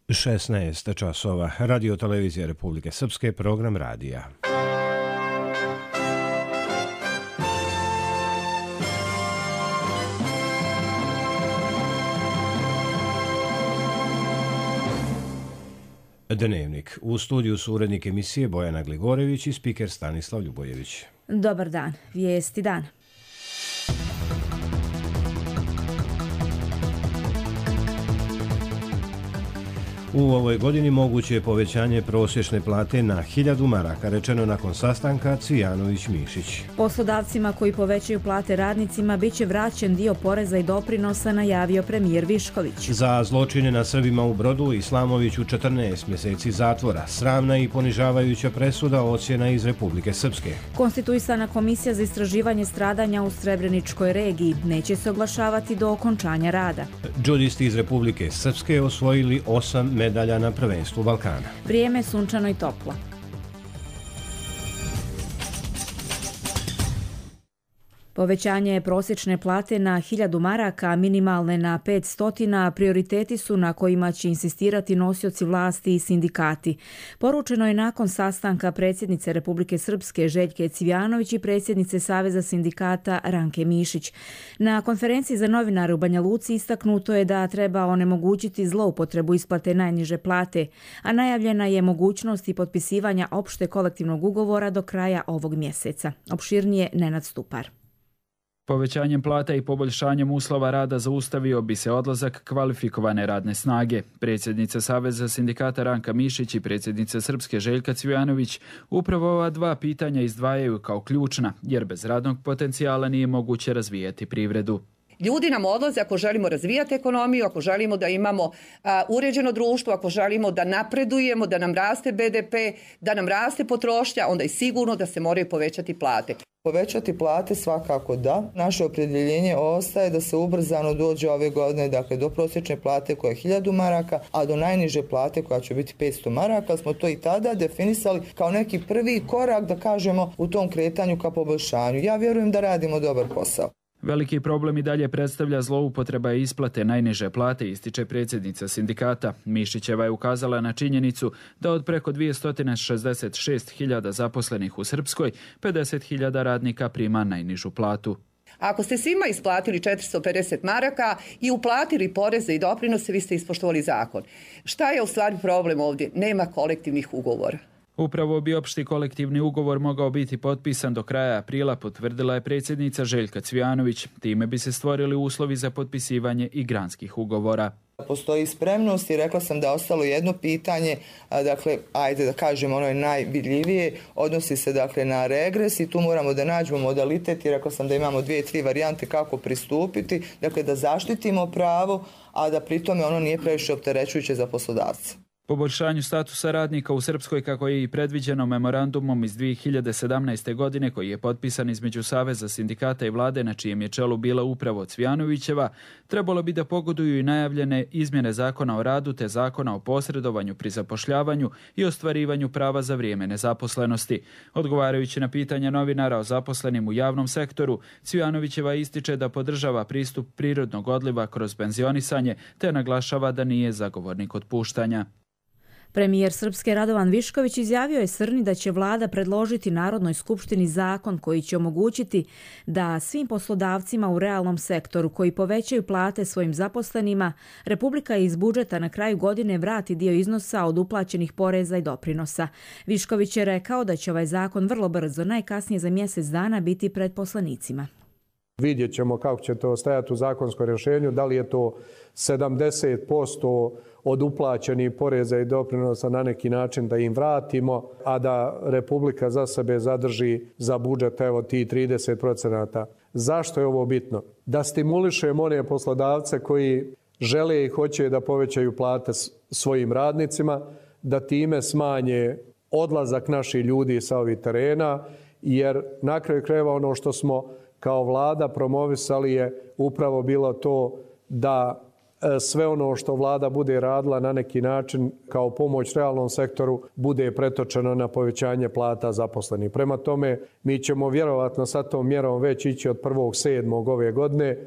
16 časova. Radio televizija Republike Srpske, program radija. Dnevnik. U studiju su urednik emisije Bojana Gligorević i spiker Stanislav Ljubojević. Dobar dan. Vijesti dan. U ovoj godini moguće je povećanje prosječne plate na 1000 maraka, rečeno nakon sastanka Cvijanović-Mišić. Poslodavcima koji povećaju plate radnicima biće vraćen dio poreza i doprinosa, najavio premijer Višković. Za zločine na Srbima u Brodu Islamoviću 14 mjeseci zatvora. Sramna i ponižavajuća presuda, ocjena iz Republike Srpske. Konstituisana komisija za istraživanje stradanja u Srebreničkoj regiji neće se oglašavati do okončanja rada. Džudisti iz Republike Srpske osvojili 8 medalja na prvenstvu Balkana. Vrijeme sunčano i toplo. Povećanje prosječne plate na 1000 maraka, minimalne na 500, prioriteti su na kojima će insistirati nosioci vlasti i sindikati. Poručeno je nakon sastanka predsjednice Republike Srpske Željke Cvijanović i predsjednice Saveza sindikata Ranke Mišić. Na konferenciji za novinare u Banja Luci istaknuto je da treba onemogućiti zloupotrebu isplate najniže plate, a najavljena je mogućnost i potpisivanja opšte kolektivnog ugovora do kraja ovog mjeseca. Opširnije Nenad Stupar. Povećanjem plata i poboljšanjem uslova rada zaustavio bi se odlazak kvalifikovane radne snage. Predsjednica Saveza sindikata Ranka Mišić i predsjednica Srpske Željka Cvijanović upravo ova dva pitanja izdvajaju kao ključna, jer bez radnog potencijala nije moguće razvijati privredu. Ljudi nam odlaze ako želimo razvijati ekonomiju, ako želimo da imamo uređeno društvo, ako želimo da napredujemo, da nam raste BDP, da nam raste potrošnja, onda je sigurno da se moraju povećati plate. Povećati plate svakako da. Naše opredjeljenje ostaje da se ubrzano dođe ove godine, dakle do prosječne plate koja je 1000 maraka, a do najniže plate koja će biti 500 maraka. Smo to i tada definisali kao neki prvi korak, da kažemo, u tom kretanju ka poboljšanju. Ja vjerujem da radimo dobar posao. Veliki problem i dalje predstavlja zloupotreba isplate najniže plate, ističe predsjednica sindikata. Mišićeva je ukazala na činjenicu da od preko 266.000 zaposlenih u Srpskoj, 50.000 radnika prima najnižu platu. Ako ste svima isplatili 450 maraka i uplatili poreze i doprinose, vi ste ispoštovali zakon. Šta je u stvari problem ovdje? Nema kolektivnih ugovora. Upravo bi opšti kolektivni ugovor mogao biti potpisan do kraja aprila, potvrdila je predsjednica Željka Cvijanović. Time bi se stvorili uslovi za potpisivanje i granskih ugovora. Postoji spremnost i rekla sam da je ostalo jedno pitanje, dakle, ajde da kažem, ono je najvidljivije, odnosi se dakle na regres i tu moramo da nađemo modalitet i rekla sam da imamo 2-3 varijante kako pristupiti, dakle da zaštitimo pravo, a da pritome ono nije previše opterećujuće za poslodavce. Poboljšanju statusa radnika u Srpskoj, kako je i predviđeno memorandumom iz 2017. godine koji je potpisan između Saveza sindikata i vlade, na čijem je čelu bila upravo Cvijanovićeva, trebalo bi da pogoduju i najavljene izmjene zakona o radu te zakona o posredovanju pri zapošljavanju i ostvarivanju prava za vrijeme nezaposlenosti. Odgovarajući na pitanja novinara o zaposlenim u javnom sektoru, Cvijanovićeva ističe da podržava pristup prirodnog odliva kroz penzionisanje te naglašava da nije zagovornik otpuštanja. Premijer Srpske Radovan Višković izjavio je Srni da će vlada predložiti Narodnoj skupštini zakon koji će omogućiti da svim poslodavcima u realnom sektoru koji povećaju plate svojim zaposlenima, Republika iz budžeta na kraju godine vrati dio iznosa od uplaćenih poreza i doprinosa. Višković je rekao da će ovaj zakon vrlo brzo, najkasnije za mjesec dana, biti pred poslanicima. Vidjet ćemo kako će to stajati u zakonskom rješenju, da li je to 70% od uplaćenih poreza i doprinosa na neki način da im vratimo, a da Republika za sebe zadrži za budžet evo ti 30%. Zašto je ovo bitno? Da stimulišemo one poslodavce koji žele i hoće da povećaju plate svojim radnicima, da time smanje odlazak naših ljudi sa ovih terena, jer na kraju krajeva ono što smo kao vlada promovisali je upravo bilo to da sve ono što vlada bude radila na neki način kao pomoć realnom sektoru bude pretočeno na povećanje plata zaposlenih. Prema tome, mi ćemo vjerovatno sa tom mjerom već ići od 1.7. ove godine.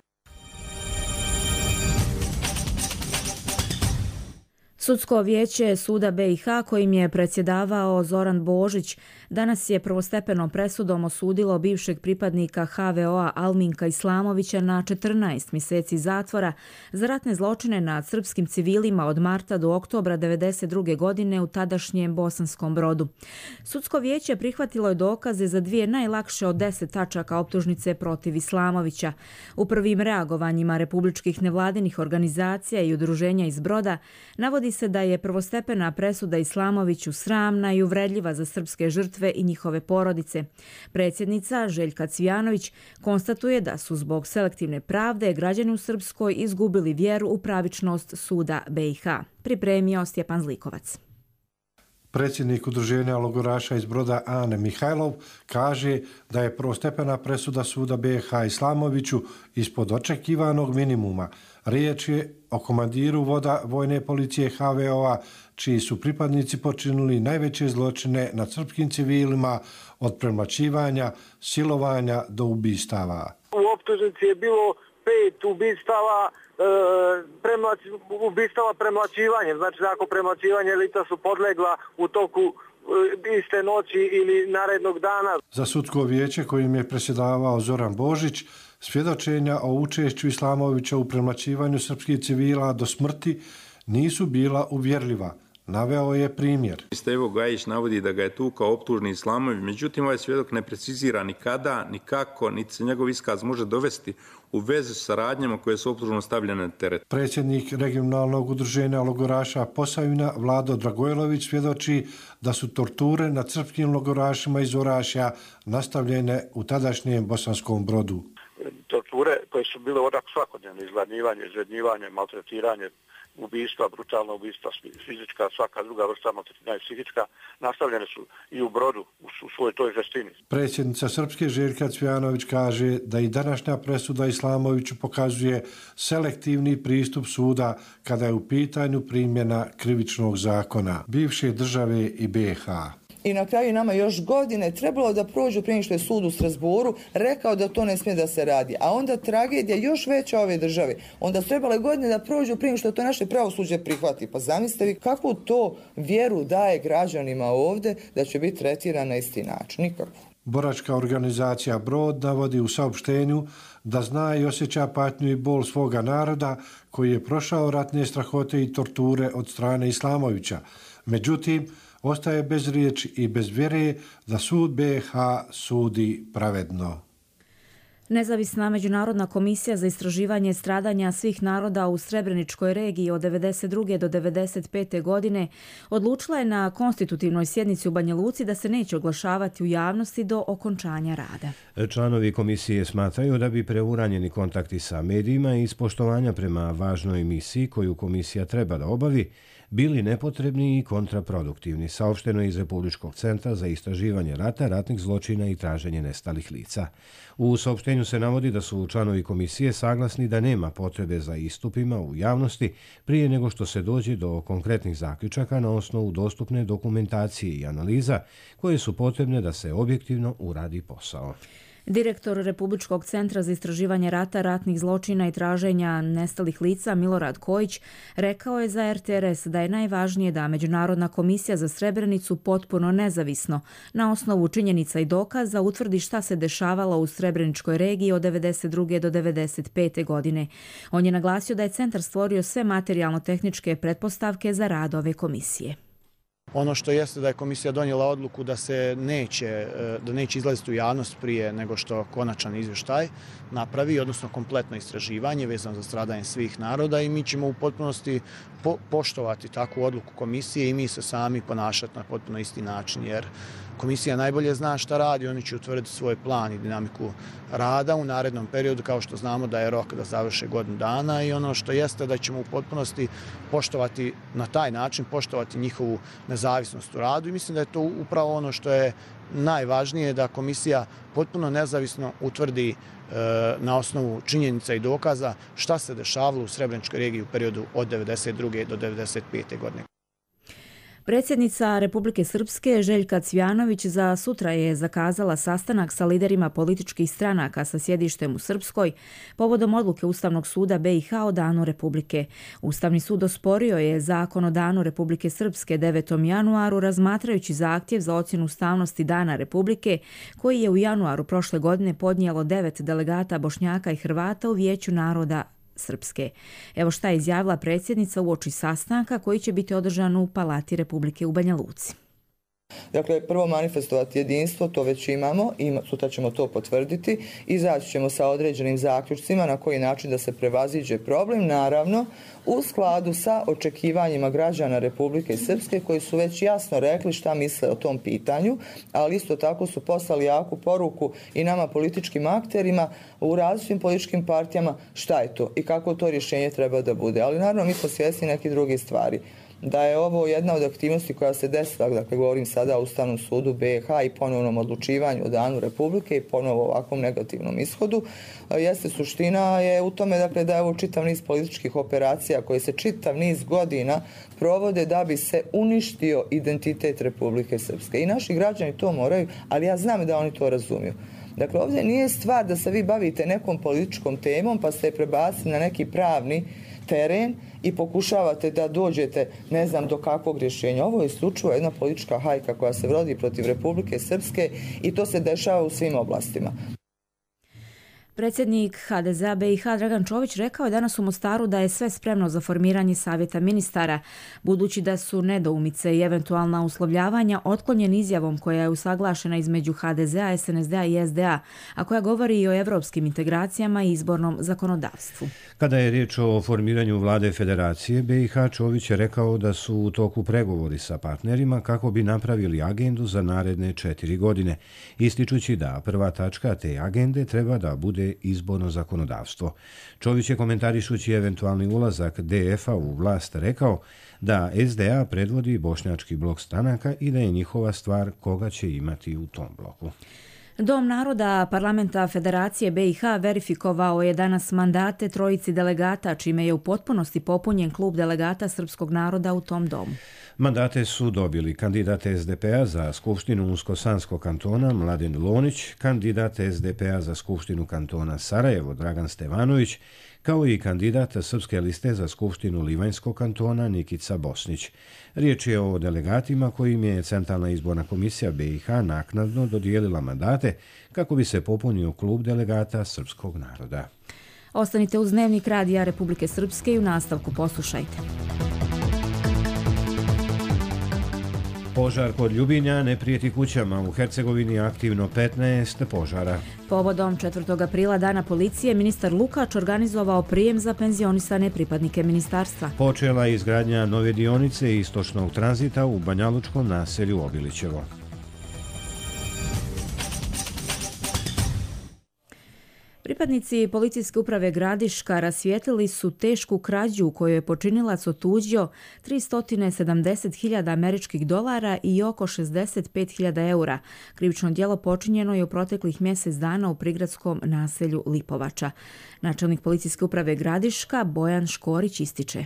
Sudsko vijeće Suda BiH kojim je predsjedavao Zoran Božić danas je prvostepenom presudom osudilo bivšeg pripadnika HVO-a Alminka Islamovića na 14 mjeseci zatvora za ratne zločine nad srpskim civilima od marta do oktobra 1992. godine u tadašnjem Bosanskom Brodu. Sudsko vijeće prihvatilo je dokaze za 2 najlakše od 10 tačaka optužnice protiv Islamovića. U prvim reagovanjima republičkih nevladinih organizacija i udruženja iz Broda navodi se da je prvostepena presuda Islamoviću sramna i uvredljiva za srpske žrtve i njihove porodice. Predsjednica Željka Cvijanović konstatuje da su zbog selektivne pravde građani u Srpskoj izgubili vjeru u pravičnost Suda BiH. Pripremio Stjepan Zlikovac. Predsjednik udruženja logoraša iz Broda Ane Mihajlov kaže da je prvostepena presuda Suda BiH Islamoviću ispod očekivanog minimuma. Riječ je o komandiru voda vojne policije HVO-a, čiji su pripadnici počinili najveće zločine nad srpskim civilima od premlaćivanja, silovanja do ubistava. U optužnici je bilo 5 ubistava, ubistava premlaćivanjem. Znači, ako premlaćivanje lica su podlegla u toku iste noći ili narednog dana. Za sudsko vijeće kojim je predsjedavao Zoran Božić, svjedočenja o učešću Islamovića u premlaćivanju srpskih civila do smrti nisu bila uvjerljiva. Naveo je primjer. Stevo Gajić navodi da ga je tukao optužni Islamović, međutim ovaj svjedok ne precizira ni kada, ni kako, niti se njegov iskaz može dovesti u vezi sa radnjama koje su optužno stavljene na teret. Predsjednik regionalnog udruženja logoraša Posavina Vlado Dragojlović svjedoči da su torture nad srpskim logorašima iz Orašja nastavljene u tadašnjem Bosanskom Brodu. Torture koje su bile odak svakodnevno, izgladnjivanje, izrednjivanje, maltretiranje, ubistva, brutalna ubistva, fizička, svaka druga vrsta maltretiranja psihička, nastavljene su i u Brodu u svojoj toj žestini. Predsjednica Srpske Željka Cvijanović kaže da i današnja presuda Islamoviću pokazuje selektivni pristup suda kada je u pitanju primjena krivičnog zakona bivše države i BiH. I na kraju nama još godine trebalo da prođu prije što je sud u Strasbourgu rekao da to ne smije da se radi. A onda tragedija još veća ove države. Onda su trebale godine da prođu prije što to naše pravosuđe prihvati. Pa zamislite vi kakvu to vjeru daje građanima ovdje da će biti tretirana na isti način. Nikako. Boračka organizacija Brod navodi u saopštenju da zna i osjeća patnju i bol svoga naroda koji je prošao ratne strahote i torture od strane Islamovića. Međutim, ostaje bez riječi i bez vjere da sud BiH sudi pravedno. Nezavisna međunarodna komisija za istraživanje stradanja svih naroda u Srebreničkoj regiji od 1992. do 1995. godine odlučila je na konstitutivnoj sjednici u Banja Luci da se neće oglašavati u javnosti do okončanja rada. Članovi komisije smatraju da bi preuranjeni kontakti sa medijima i ispoštovanja prema važnoj misiji koju komisija treba da obavi bili nepotrebni i kontraproduktivni, saopšteno iz Republičkog centra za istraživanje rata, ratnih zločina i traženje nestalih lica. U saopštenju se navodi da su članovi komisije saglasni da nema potrebe za istupima u javnosti prije nego što se dođe do konkretnih zaključaka na osnovu dostupne dokumentacije i analiza koje su potrebne da se objektivno uradi posao. Direktor Republičkog centra za istraživanje rata, ratnih zločina i traženja nestalih lica Milorad Kojić rekao je za RTRS da je najvažnije da Međunarodna komisija za Srebrenicu potpuno nezavisno na osnovu činjenica i dokaza utvrdi šta se dešavalo u Srebreničkoj regiji od 1992. do 1995. godine. On je naglasio da je centar stvorio sve materijalno-tehničke pretpostavke za rad ove komisije. Ono što jeste da je komisija donijela odluku da se neće izlaziti u javnost prije nego što konačan izvještaj napravi, odnosno kompletno istraživanje vezano za stradanje svih naroda, i mi ćemo u potpunosti poštovati takvu odluku komisije i mi se sami ponašati na potpuno isti način, jer komisija najbolje zna šta radi, oni će utvrditi svoj plan i dinamiku rada u narednom periodu, kao što znamo da je rok da završe godinu dana, i ono što jeste da ćemo u potpunosti poštovati na taj način, poštovati njihovu nezavisnost u radu, i mislim da je to upravo ono što je najvažnije, da komisija potpuno nezavisno utvrdi na osnovu činjenica i dokaza šta se dešavalo u Srebreničkoj regiji u periodu od 1992. do 1995. godine. Predsjednica Republike Srpske Željka Cvjanović za sutra je zakazala sastanak sa liderima političkih stranaka sa sjedištem u Srpskoj povodom odluke Ustavnog suda BiH o Danu Republike. Ustavni sud osporio je zakon o Danu Republike Srpske 9. januaru razmatrajući zahtjev za ocjenu ustavnosti Dana Republike koji je u januaru prošle godine podnijelo 9 delegata Bošnjaka i Hrvata u Vijeću naroda Srpske. Evo šta je izjavila predsjednica uoči sastanka koji će biti održan u Palati Republike u Banja Luci. Dakle, prvo manifestovati jedinstvo, to već imamo i sutra ćemo to potvrditi. Izaći ćemo sa određenim zaključcima na koji način da se prevaziđe problem, naravno u skladu sa očekivanjima građana Republike Srpske koji su već jasno rekli šta misle o tom pitanju, ali isto tako su poslali jaku poruku i nama političkim akterima u različitim političkim partijama šta je to i kako to rješenje treba da bude. Ali naravno mi smo svjesni nekih drugih stvari. Da je ovo jedna od aktivnosti koja se desila, dakle govorim sada o Ustavnom sudu BiH i ponovnom odlučivanju o Danu Republike i ponovo ovakvom negativnom ishodu, jeste suština je u tome dakle, da je ovo čitav niz političkih operacija koje se čitav niz godina provode da bi se uništio identitet Republike Srpske. I naši građani to moraju, ali ja znam da oni to razumiju. Dakle, ovdje nije stvar da se vi bavite nekom političkom temom pa ste je prebacili na neki pravni teren i pokušavate da dođete ne znam do kakvog rješenja. Ovo je isključivo jedna politička hajka koja se vodi protiv Republike Srpske i to se dešava u svim oblastima. Predsjednik HDZ-a BiH Dragan Čović rekao je danas u Mostaru da je sve spremno za formiranje savjeta ministara, budući da su nedoumice i eventualna uslovljavanja otklonjeni izjavom koja je usaglašena između HDZ-a, SNSD-a i SDA, a koja govori i o evropskim integracijama i izbornom zakonodavstvu. Kada je riječ o formiranju vlade Federacije BiH, Čović je rekao da su u toku pregovori sa partnerima kako bi napravili agendu za naredne 4 godine, ističući da prva tačka te agende treba da bude izborno zakonodavstvo. Čović je komentarišući eventualni ulazak DF-a u vlast rekao da SDA predvodi bošnjački blok stranaka i da je njihova stvar koga će imati u tom bloku. Dom naroda Parlamenta Federacije BiH verifikovao je danas mandate trojici delegata, čime je u potpunosti popunjen klub delegata srpskog naroda u tom domu. Mandate su dobili kandidat SDP-a za Skupštinu Unsko-Sanskog kantona Mladen Lonić, kandidat SDP-a za Skupštinu kantona Sarajevo Dragan Stevanović, kao i kandidat Srpske liste za Skupštinu Livanjskog kantona Nikica Bosnić. Riječ je o delegatima kojim je Centralna izborna komisija BiH naknadno dodijelila mandate kako bi se popunio klub delegata srpskog naroda. Ostanite uz Dnevnik Radija Republike Srpske i u nastavku poslušajte. Požar kod Ljubinja ne prijeti kućama. U Hercegovini aktivno 15 požara. Povodom 4. aprila Dana policije, ministar Lukač organizovao prijem za penzionisane pripadnike ministarstva. Počela je izgradnja nove dionice istočnog tranzita u banjalučkom naselju Obilićevo. Pripadnici policijske uprave Gradiška rasvijetlili su tešku krađu u kojoj je počinilac otuđio 370.000 američkih dolara i oko 65.000 eura. Krivično djelo počinjeno je u proteklih mjesec dana u prigradskom naselju Lipovača. Načelnik policijske uprave Gradiška Bojan Škorić ističe.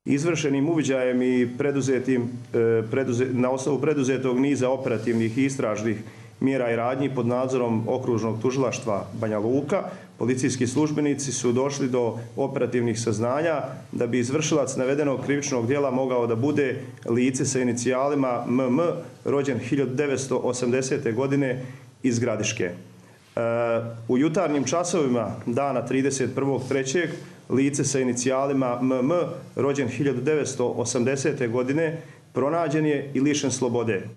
Izvršenim uviđajem i na osnovu preduzetog niza operativnih i istražnih mjera i radnji pod nadzorom okružnog tužilaštva Banja Luka, policijski službenici su došli do operativnih saznanja da bi izvršilac navedenog krivičnog djela mogao da bude lice sa inicijalima MM, rođen 1980. godine iz Gradiške. U jutarnjim časovima dana 31.3. lice sa inicijalima MM, rođen 1980. godine, pronađen je i lišen slobode.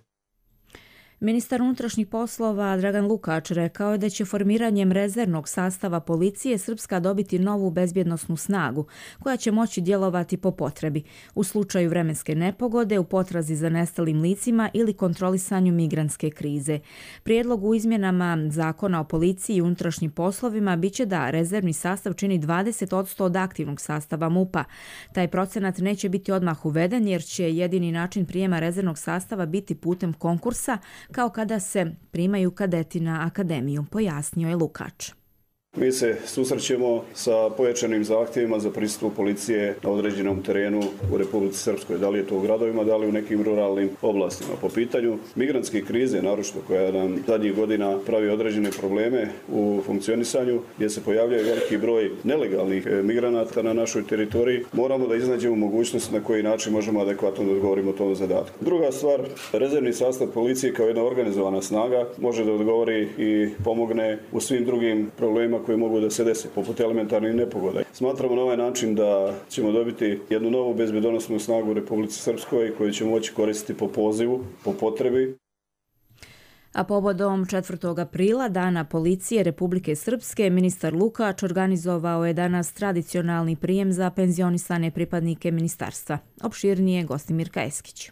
Ministar unutrašnjih poslova Dragan Lukač rekao je da će formiranjem rezervnog sastava policije Srpska dobiti novu bezbjednosnu snagu koja će moći djelovati po potrebi u slučaju vremenske nepogode, u potrazi za nestalim licima ili kontrolisanju migrantske krize. Prijedlog u izmjenama Zakona o policiji i unutrašnjim poslovima biće da rezervni sastav čini 20% od aktivnog sastava MUP-a. Taj procenat neće biti odmah uveden jer će jedini način prijema rezervnog sastava biti putem konkursa kao kada se primaju kadeti na akademiju, pojasnio je Lukač. Mi se susrećemo sa pojačanim zahtjevima za pristup policije na određenom terenu u Republici Srpskoj. Da li je to u gradovima, da li u nekim ruralnim oblastima. Po pitanju migrantske krize, naročito koja nam zadnjih godina pravi određene probleme u funkcionisanju, gdje se pojavljaju veliki broj nelegalnih migranata na našoj teritoriji, moramo da iznađemo mogućnost na koji način možemo adekvatno da odgovorimo tom zadatku. Druga stvar, rezervni sastav policije kao jedna organizovana snaga može da odgovori i pomogne u svim drugim problemima koji mogu da se desi, poput elementarnih nepogoda. Smatramo na ovaj način da ćemo dobiti jednu novu bezbednosnu snagu u Republici Srpskoj koju ćemo moći koristiti po pozivu, po potrebi. A povodom 4. aprila, Dana policije Republike Srpske, ministar Lukač organizovao je danas tradicionalni prijem za penzionisane pripadnike ministarstva. Opširnije Gostimir Kajeskić.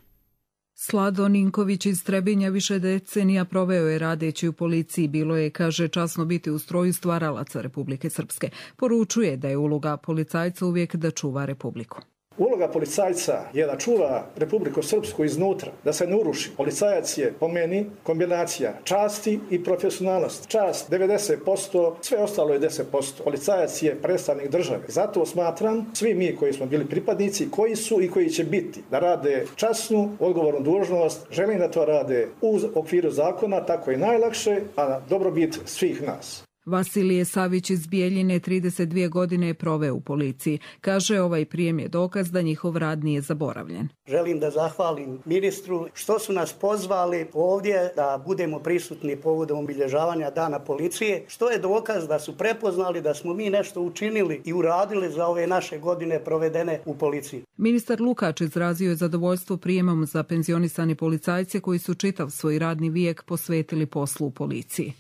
Slado Ninković iz Trebinja više decenija proveo je radeći u policiji. Bilo je, kaže, časno biti u stroju stvaralaca Republike Srpske. Poručuje da je uloga policajca uvijek da čuva Republiku. Uloga policajca je da čuva Republiku Srpsku iznutra, da se ne uruši. Policajac je, po meni, kombinacija časti i profesionalnosti. Čast 90%, sve ostalo je 10%. Policajac je predstavnik države. Zato smatram, svi mi koji smo bili pripadnici, koji su i koji će biti, da rade časnu, odgovornu dužnost, želim da to rade u okviru zakona, tako je najlakše, a na dobrobit svih nas. Vasilije Savić iz Bijeljine 32 godine je proveo u policiji. Kaže, ovaj prijem je dokaz da njihov rad nije zaboravljen. Želim da zahvalim ministru što su nas pozvali ovdje da budemo prisutni povodom obilježavanja Dana policije, što je dokaz da su prepoznali da smo mi nešto učinili i uradili za ove naše godine provedene u policiji. Ministar Lukač izrazio je zadovoljstvo prijemom za penzionisane policajce koji su čitav svoj radni vijek posvetili poslu u policiji.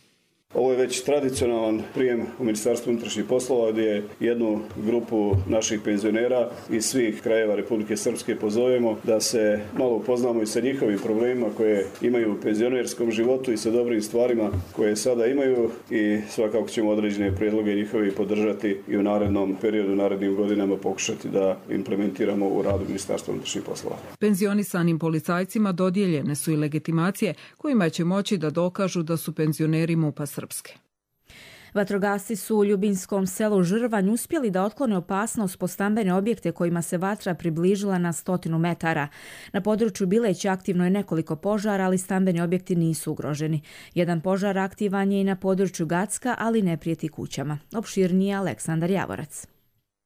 Ovo je već tradicionalan prijem u Ministarstvu unutrašnjih poslova gdje je jednu grupu naših penzionera iz svih krajeva Republike Srpske pozovemo da se malo upoznamo i sa njihovim problemima koje imaju u penzionerskom životu i sa dobrim stvarima koje sada imaju i svakako ćemo određene prijedloge njihovi podržati i u narednom periodu, narednim godinama pokušati da implementiramo u radu Ministarstva unutrašnjih poslova. Penzionisanim policajcima dodijeljene su i legitimacije kojima će moći da dokažu da su penzioneri MUP-a Srpske. Vatrogasci su u Ljubinskom selu Žrvanj uspjeli da otklone opasnost po stambene objekte kojima se vatra približila na 100 metara. Na području Bileća aktivno je nekoliko požara, ali stambeni objekti nisu ugroženi. Jedan požar aktivan je i na području Gacka, ali ne prijeti kućama. Opširnije Aleksandar Javorac.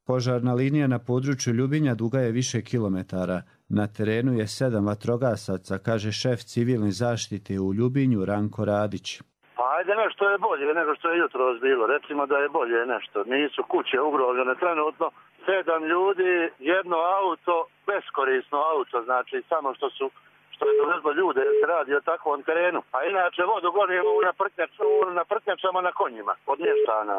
Požarna linija na području Ljubinja duga je više kilometara. Na terenu je 7 vatrogasaca, kaže šef civilne zaštite u Ljubinju Ranko Radić. Pa ajde nešto je bolje nego što je jutros bilo. Recimo da je bolje nešto. Nisu kuće ugrožene trenutno. 7 ljudi, jedno auto, beskorisno auto, znači samo što je dovezlo ljude jer se radi o takvom terenu. A inače vodu gonimo na prtnjačama na konjima od mještana.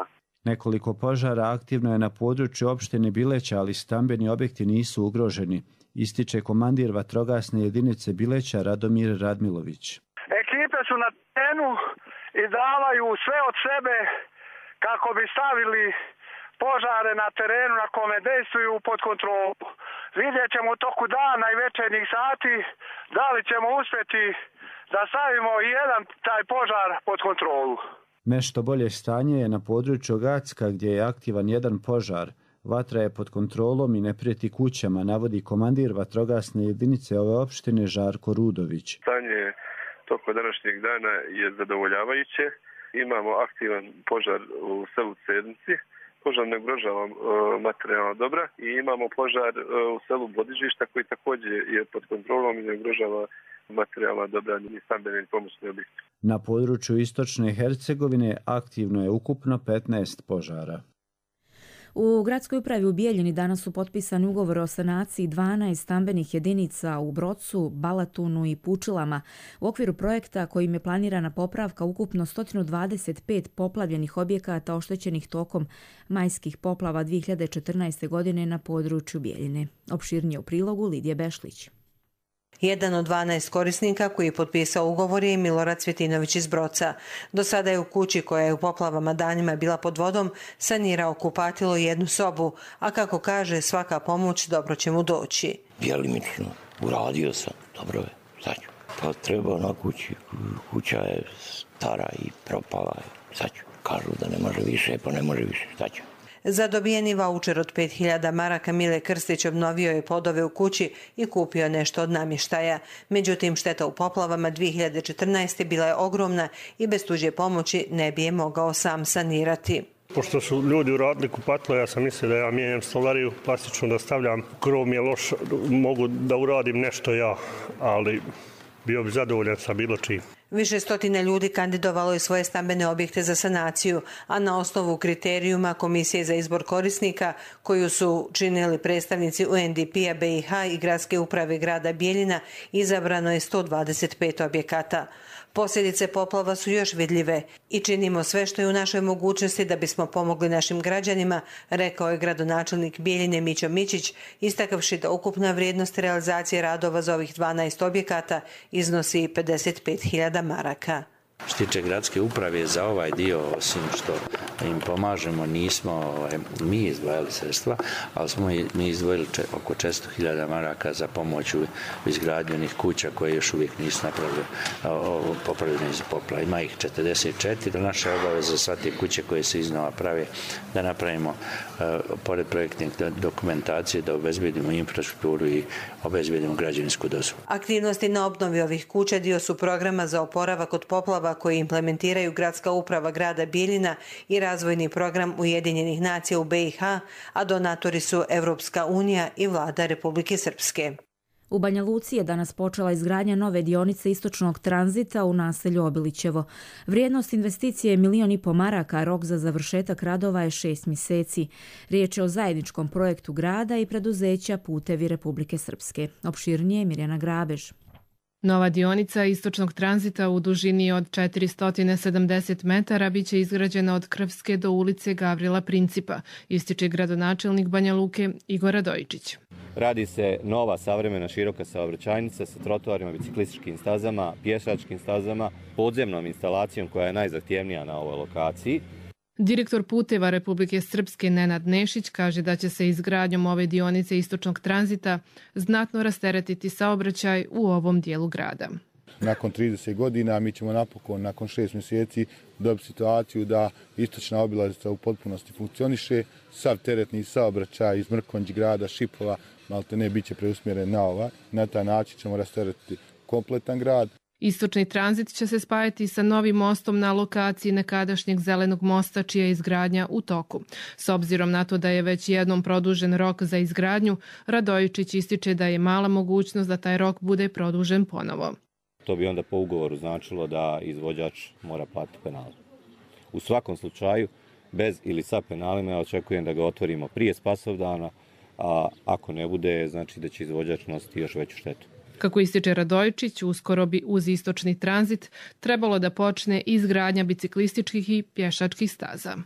Nekoliko požara aktivno je na području opštine Bileća, ali stambeni objekti nisu ugroženi, ističe komandir vatrogasne jedinice Bileća Radomir Radmilović. Ekipe su na terenu i davaju sve od sebe kako bi stavili požare na terenu na kome dejstvuju pod kontrolu. Vidjet ćemo u toku dana i večernjih sati da li ćemo uspjeti da stavimo i jedan taj požar pod kontrolu. Nešto bolje stanje je na području Gacka gdje je aktivan jedan požar. Vatra je pod kontrolom i ne prijeti kućama, navodi komandir vatrogasne jedinice ove opštine Žarko Rudović. Stanje toko današnjeg dana je zadovoljavajuće. Imamo aktivan požar u selu Cednici. Požar ne ugrožava materijalna dobra i imamo požar u selu Bodižišta koji također je pod kontrolom i ne ugrožava materijalna dobra i stambene pomoćne objekte. Na području istočne Hercegovine aktivno je ukupno 15 požara. U gradskoj upravi u Bijeljini danas su potpisani ugovor o sanaciji 12 stambenih jedinica u Brocu, Balatunu i Pučilama u okviru projekta kojim je planirana popravka ukupno 125 poplavljenih objekata oštećenih tokom majskih poplava 2014. godine na području Bijeljine. Opširnije u prilogu Lidije Bešlić. Jedan od 12 korisnika koji je potpisao ugovor je Milorad Cvjetinović iz Broca. Do sada je u kući koja je u poplavama danima bila pod vodom sanirao kupatilo i jednu sobu, a kako kaže svaka pomoć dobro će mu doći. Djelimično uradio sam, dobro je, sad ću. Pa treba na kući, kuća je stara i propala, sad ću. Kažu da ne može više, pa ne može više. Šta ću? Za dobijeni vaučer od 5000 maraka Mile Krstić obnovio je podove u kući i kupio nešto od namještaja. Međutim, šteta u poplavama 2014. bila je ogromna i bez tuđe pomoći ne bi je mogao sam sanirati. Pošto su ljudi uradili kupatilo, ja sam mislio da ja mijenjam stolariju, plastično da stavljam. Krov mi je loš, mogu da uradim nešto ja, ali bio bi zadovoljan sa bilo čim. Više stotina ljudi kandidovalo je svoje stambene objekte za sanaciju, a na osnovu kriterijuma Komisije za izbor korisnika, koju su činili predstavnici UNDP-a BiH i Gradske uprave grada Bijeljina, izabrano je 125 objekata. Posljedice poplava su još vidljive i činimo sve što je u našoj mogućnosti da bismo pomogli našim građanima, rekao je gradonačelnik Bijeljine Mićo Mićić, istakavši da ukupna vrijednost realizacije radova za ovih 12 objekata iznosi 55.000 maraka. Što tiče gradske uprave za ovaj dio, osim što im pomažemo, nismo mi izdvajali sredstva, ali smo mi izdvojili oko 400.000 maraka za pomoć u izgradnju onih kuća koje još uvijek nisu popravljene iz poplava. Ima ih 44, naša obaveza za sve te kuće koje se iznova prave da napravimo pored projektne dokumentacije, da obezbedimo infrastrukturu i obezbedimo građevinsku dozvolu. Aktivnosti na obnovi ovih kuća dio su programa za oporavak od poplava koji implementiraju Gradska uprava grada Bijeljina i razvojni program Ujedinjenih nacija u BiH, a donatori su Evropska unija i vlada Republike Srpske. U Banja Luci je danas počela izgradnja nove dionice istočnog tranzita u naselju Obilićevo. Vrijednost investicije je 1,5 miliona maraka, a rok za završetak radova je 6 mjeseci. Riječ je o zajedničkom projektu grada i preduzeća Putevi Republike Srpske. Opširnije Mirjana Grabež. Nova dionica istočnog tranzita u dužini od 470 metara biće izgrađena od Krvske do ulice Gavrila Principa, ističe gradonačelnik Banja Luke Igor Radojičić. Radi se nova savremena široka saobraćajnica sa trotoarima, biciklističkim stazama, pješačkim stazama, podzemnom instalacijom koja je najzahtjevnija na ovoj lokaciji. Direktor Puteva Republike Srpske Nenad Nešić kaže da će se izgradnjom ove dionice istočnog tranzita znatno rasteretiti saobraćaj u ovom dijelu grada. Nakon 30 godina mi ćemo napokon, nakon 6 mjeseci, dobiti situaciju da istočna obilaznica u potpunosti funkcioniše. Sav teretni saobraćaj iz Mrkonjić grada, Šipova, maltene bit će preusmjeren na ovaj. Na taj način ćemo rasteretiti kompletan grad. Istočni tranzit će se spajati sa novim mostom na lokaciji nekadašnjeg zelenog mosta, čija je izgradnja u toku. S obzirom na to da je već jednom produžen rok za izgradnju, Radojičić ističe da je mala mogućnost da taj rok bude produžen ponovo. To bi onda po ugovoru značilo da izvođač mora platiti penale. U svakom slučaju, bez ili sa penalima, ja očekujem da ga otvorimo prije Spasovdana, a ako ne bude, znači da će izvođač nositi još veću štetu. Kako ističe Radojičić, uskoro bi uz istočni tranzit trebalo da počne izgradnja biciklističkih i pješačkih staza.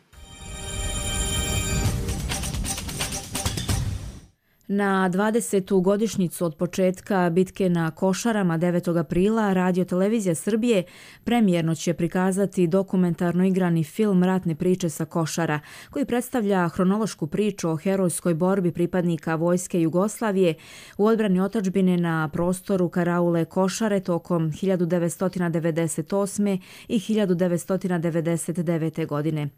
Na 20. godišnjicu od početka bitke na Košarama 9. aprila Radio Televizija Srbije premijerno će prikazati dokumentarno igrani film Ratne priče sa Košara, koji predstavlja hronološku priču o herojskoj borbi pripadnika Vojske Jugoslavije u odbrani otadžbine na prostoru Karaule Košare tokom 1998. i 1999. godine.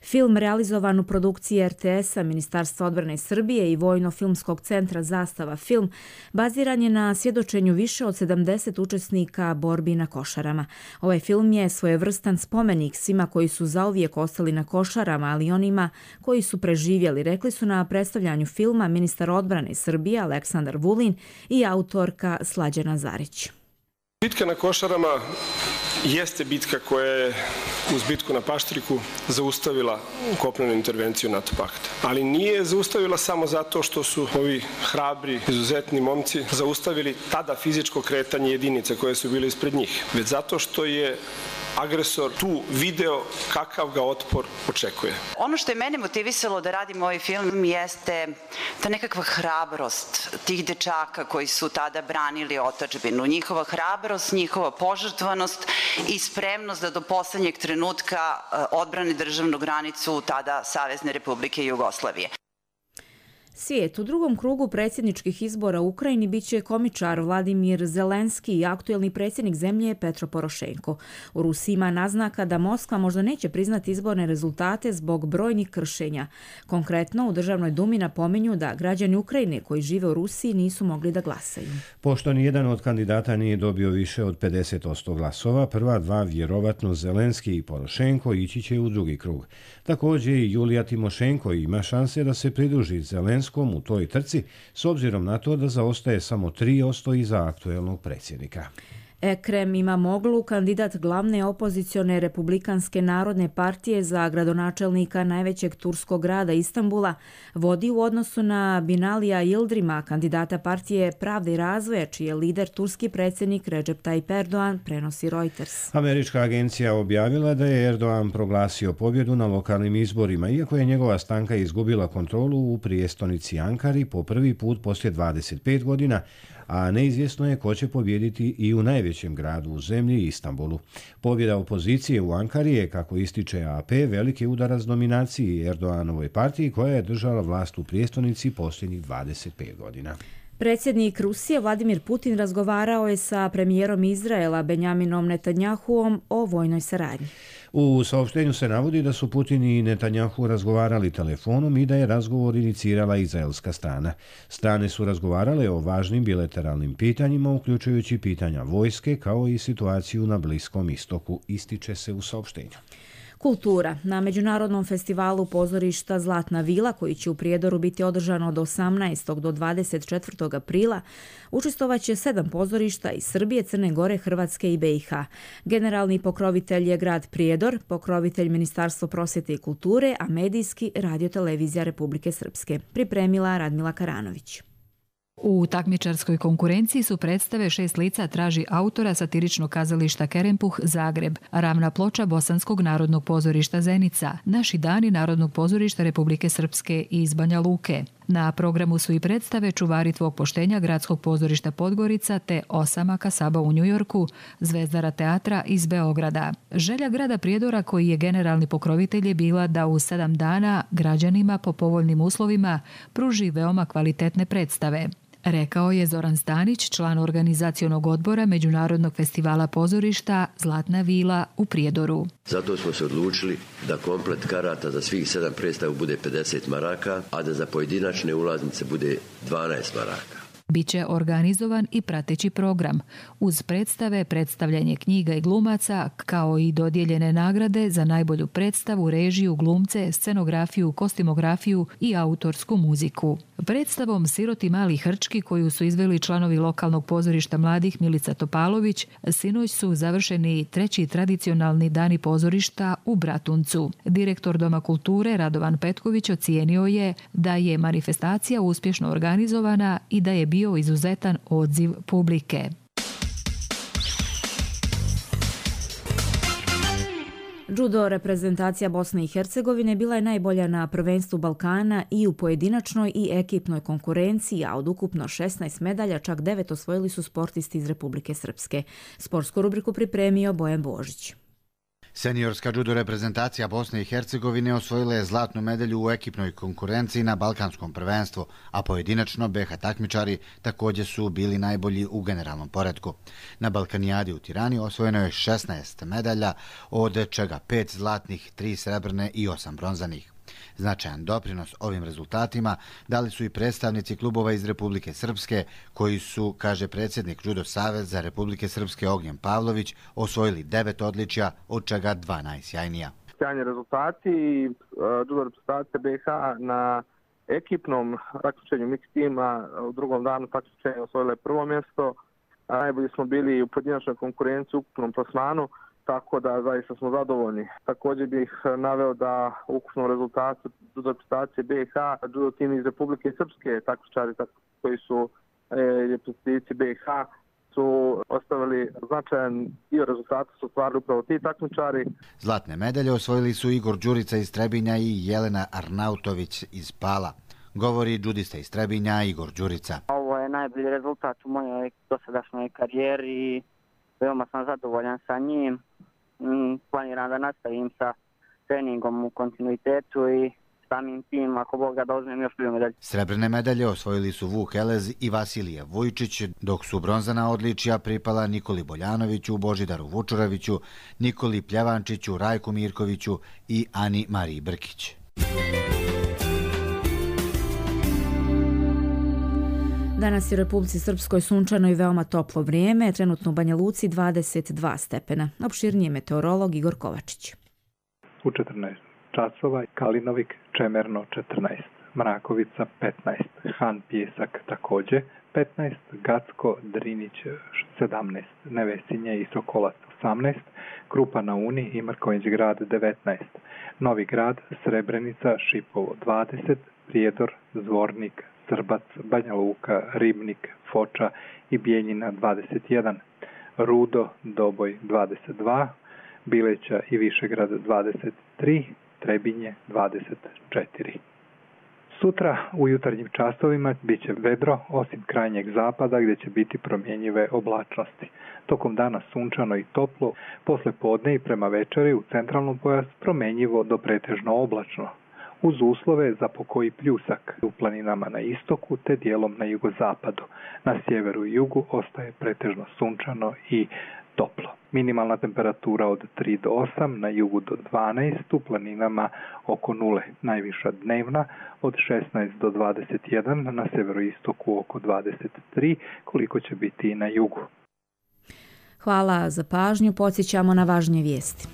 Film realizovan u produkciji RTS-a, Ministarstva odbrane Srbije i Vojno-filmskog centra Zastava film baziran je na svjedočenju više od 70 učesnika borbi na Košarama. Ovaj film je svojevrstan spomenik svima koji su zauvijek ostali na Košarama, ali i onima koji su preživjeli, rekli su na predstavljanju filma ministar odbrane Srbije Aleksandar Vulin i autorka Slađana Zarić. Bitka na Košarama jeste bitka koja je uz bitku na Paštriku zaustavila kopnenu intervenciju NATO pakta. Ali nije zaustavila samo zato što su ovi hrabri, izuzetni momci zaustavili tada fizičko kretanje jedinice koje su bile ispred njih, već zato što je agresor tu video kakav ga otpor očekuje. Ono što je mene motivisalo da radim ovaj film jeste ta nekakva hrabrost tih dečaka koji su tada branili otadžbinu. Njihova hrabrost, njihova požrtvanost i spremnost da do poslednjeg trenutka odbrane državnu granicu tada Savezne Republike Jugoslavije. Svijet. U drugom krugu predsjedničkih izbora u Ukrajini biće komičar Vladimir Zelenski i aktuelni predsjednik zemlje Petro Porošenko. U Rusiji ima naznaka da Moskva možda neće priznati izborne rezultate zbog brojnih kršenja. Konkretno, u Državnoj dumi napominju da građani Ukrajine koji žive u Rusiji nisu mogli da glasaju. Pošto nijedan od kandidata nije dobio više od 50% glasova, prva dva, vjerovatno Zelenski i Porošenko, ići će u drugi krug. Također i Julija Timošenko ima šanse da se pridruži Zelenskom u toj trci, s obzirom na to da zaostaje samo 3% iza aktuelnog predsjednika. Ekrem Imamoglu, kandidat glavne opozicione Republikanske narodne partije za gradonačelnika najvećeg turskog grada Istanbula, vodi u odnosu na Binalija Yıldırım'a, kandidata partije Pravde i razvoja, čiji je lider turski predsjednik Recep Tayyip Erdoğan, prenosi Reuters. Američka agencija objavila da je Erdoğan proglasio pobjedu na lokalnim izborima, iako je njegova stranka izgubila kontrolu u prijestolnici Ankari po prvi put poslije 25 godina, a neizvjesno je ko će pobijediti i u najvećem gradu u zemlji, Istanbulu. Pobjeda opozicije u Ankari je, kako ističe AP, veliki udarac dominaciji Erdoğanovoj partiji koja je držala vlast u prijestolnici posljednjih 25 godina. Predsjednik Rusije Vladimir Putin razgovarao je sa premijerom Izraela Benjaminom Netanjahuom o vojnoj saradnji. U saopštenju se navodi da su Putin i Netanjahu razgovarali telefonom i da je razgovor inicirala izraelska strana. Strane su razgovarale o važnim bilateralnim pitanjima, uključujući pitanja vojske kao i situaciju na Bliskom istoku, ističe se u saopštenju. Kultura. Na Međunarodnom festivalu pozorišta Zlatna vila, koji će u Prijedoru biti održan od 18. do 24. aprila, učestvovaće 7 pozorišta iz Srbije, Crne Gore, Hrvatske i BiH. Generalni pokrovitelj je grad Prijedor, pokrovitelj Ministarstvo prosvjete i kulture, a medijski Radio-televizija Republike Srpske. Pripremila Radmila Karanović. U takmičarskoj konkurenciji su predstave 6 lica traži autora satiričnog kazališta Kerempuh Zagreb, Ravna ploča Bosanskog narodnog pozorišta Zenica, Naši dani Narodnog pozorišta Republike Srpske iz Banja Luke. Na programu su i predstave Čuvari tvog poštenja Gradskog pozorišta Podgorica te Osamaka Saba u Njujorku, Zvezdara teatra iz Beograda. Želja grada Prijedora, koji je generalni pokrovitelj, je bila da u 7 dana građanima po povoljnim uslovima pruži veoma kvalitetne predstave. Rekao je Zoran Stanić, član organizacionog odbora Međunarodnog festivala pozorišta Zlatna vila u Prijedoru. Zato smo se odlučili da komplet karata za svih 7 predstava bude 50 maraka, a da za pojedinačne ulaznice bude 12 maraka. Biće organizovan i prateći program, uz predstave, predstavljanje knjiga i glumaca, kao i dodijeljene nagrade za najbolju predstavu, režiju, glumce, scenografiju, kostimografiju i autorsku muziku. Predstavom Siroti mali hrčki, koju su izveli članovi lokalnog pozorišta mladih Milica Topalović, sinoć su završeni 3. tradicionalni dani pozorišta u Bratuncu. Direktor Doma kulture Radovan Petković ocijenio je da je manifestacija uspješno organizovana i da je bio izuzetan odziv publike. Judo reprezentacija Bosne i Hercegovine bila je najbolja na prvenstvu Balkana i u pojedinačnoj i ekipnoj konkurenciji, a od ukupno 16 medalja čak 9 osvojili su sportisti iz Republike Srpske. Sportsku rubriku pripremio Bojan Božić. Seniorska judo reprezentacija Bosne i Hercegovine osvojila je zlatnu medalju u ekipnoj konkurenciji na Balkanskom prvenstvu, a pojedinačno BiH takmičari također su bili najbolji u generalnom poretku. Na Balkanijadi u Tirani osvojeno je 16 medalja, od čega 5 zlatnih, 3 srebrne i 8 bronzanih. Značajan doprinos ovim rezultatima dali su i predstavnici klubova iz Republike Srpske, koji su, kaže predsjednik Judo Saveza Republike Srpske Ognjen Pavlović, osvojili 9 odličja, od čega 2 najsjajnija. Sjajni rezultati i judo reprezentacija BiH na ekipnom takmičenju mix tima u drugom danu takmičenja osvojila je prvo mjesto. Najbolji smo bili u pojedinačnoj konkurenciji u ukupnom plasmanu, tako da zaista smo zadovoljni. Također bih naveo da u ukupnom rezultatu judo reprezentacije BiH, judo tim iz Republike Srpske, takmičari koji su reprezentativi BiH, su ostavili značajan dio rezultata, su ostvarili upravo ti takmičari. Zlatne medalje osvojili su Igor Đurica iz Trebinja i Jelena Arnautović iz Pala. Govori judista iz Trebinja Igor Đurica. Ovo je najbolji rezultat u mojoj dosadašnjoj karijeri i veoma sam zadovoljan sa njim. Planiram da nastavim sa treningom u kontinuitetu i samim tim, ako Bog da uzmem još 2 medalje. Srebrne medalje osvojili su Vuk Elez i Vasilije Vujčić, dok su bronzana odličija pripala Nikoli Boljanoviću, Božidaru Vučureviću, Nikoli Pljevančiću, Rajku Mirkoviću i Ani Mariji Brkić. Danas je u Republici Srpskoj sunčano i veoma toplo vrijeme, trenutno u Banja Luci 22 stepena. Opširnije meteorolog Igor Kovačić. U 14 časova Kalinovik, Čemerno 14, Mrakovica 15, Han Pjesak također 15, Gacko, Drinić 17, Nevesinje i Sokolac 18, Krupa na Uni i Mrkonjić grad 19, Novi grad, Srebrenica, Šipovo 20, Prijedor, Zvornik, Srbac, Banja Luka, Ribnik, Foča i Bijeljina 21, Rudo, Doboj 22, Bileća i Višegrad 23, Trebinje 24. Sutra u jutarnjim časovima bit će vedro, osim krajnjeg zapada gdje će biti promjenjive oblačnosti. Tokom dana sunčano i toplo, posle podne i prema večeri u centralnom pojasu promjenjivo do pretežno oblačno, uz uslove za pokoji pljusak u planinama na istoku te dijelom na jugozapadu. Na sjeveru i jugu ostaje pretežno sunčano i toplo. Minimalna temperatura od 3 do 8, na jugu do 12, u planinama oko 0. Najviša dnevna od 16 do 21, na severoistoku oko 23, koliko će biti i na jugu. Hvala za pažnju, podsjećamo na važnije vijesti.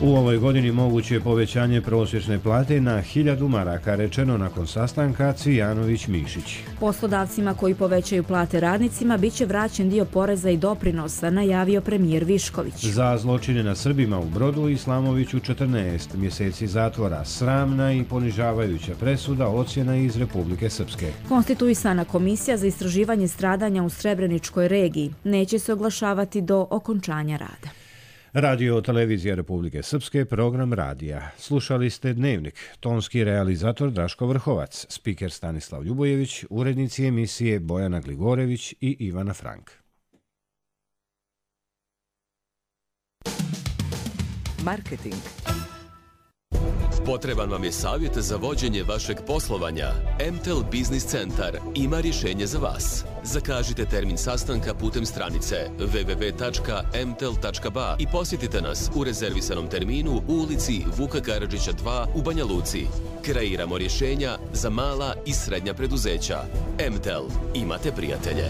U ovoj godini moguće je povećanje prosječne plate na 1000 maraka, rečeno nakon sastanka Cvijanović-Mišić. Poslodavcima koji povećaju plate radnicima bit će vraćen dio poreza i doprinosa, najavio premijer Višković. Za zločine na Srbima u Brodu Islamoviću 14 mjeseci zatvora, sramna i ponižavajuća presuda, ocjena iz Republike Srpske. Konstituisana komisija za istraživanje stradanja u Srebreničkoj regiji neće se oglašavati do okončanja rada. Radio Televizija Republike Srpske, program radija. Slušali ste Dnevnik, tonski realizator Draško Vrhovac, spiker Stanislav Ljubojević, urednici emisije Bojana Gligorević i Ivana Frank. Marketing. Potreban vam je savjet za vođenje vašeg poslovanja? MTEL Business Centar ima rješenje za vas. Zakažite termin sastanka putem stranice www.mtel.ba i posjetite nas u rezervisanom terminu u ulici Vuka Karadžića 2 u Banja Luci. Kreiramo rješenja za mala i srednja preduzeća. MTEL. Imate prijatelje.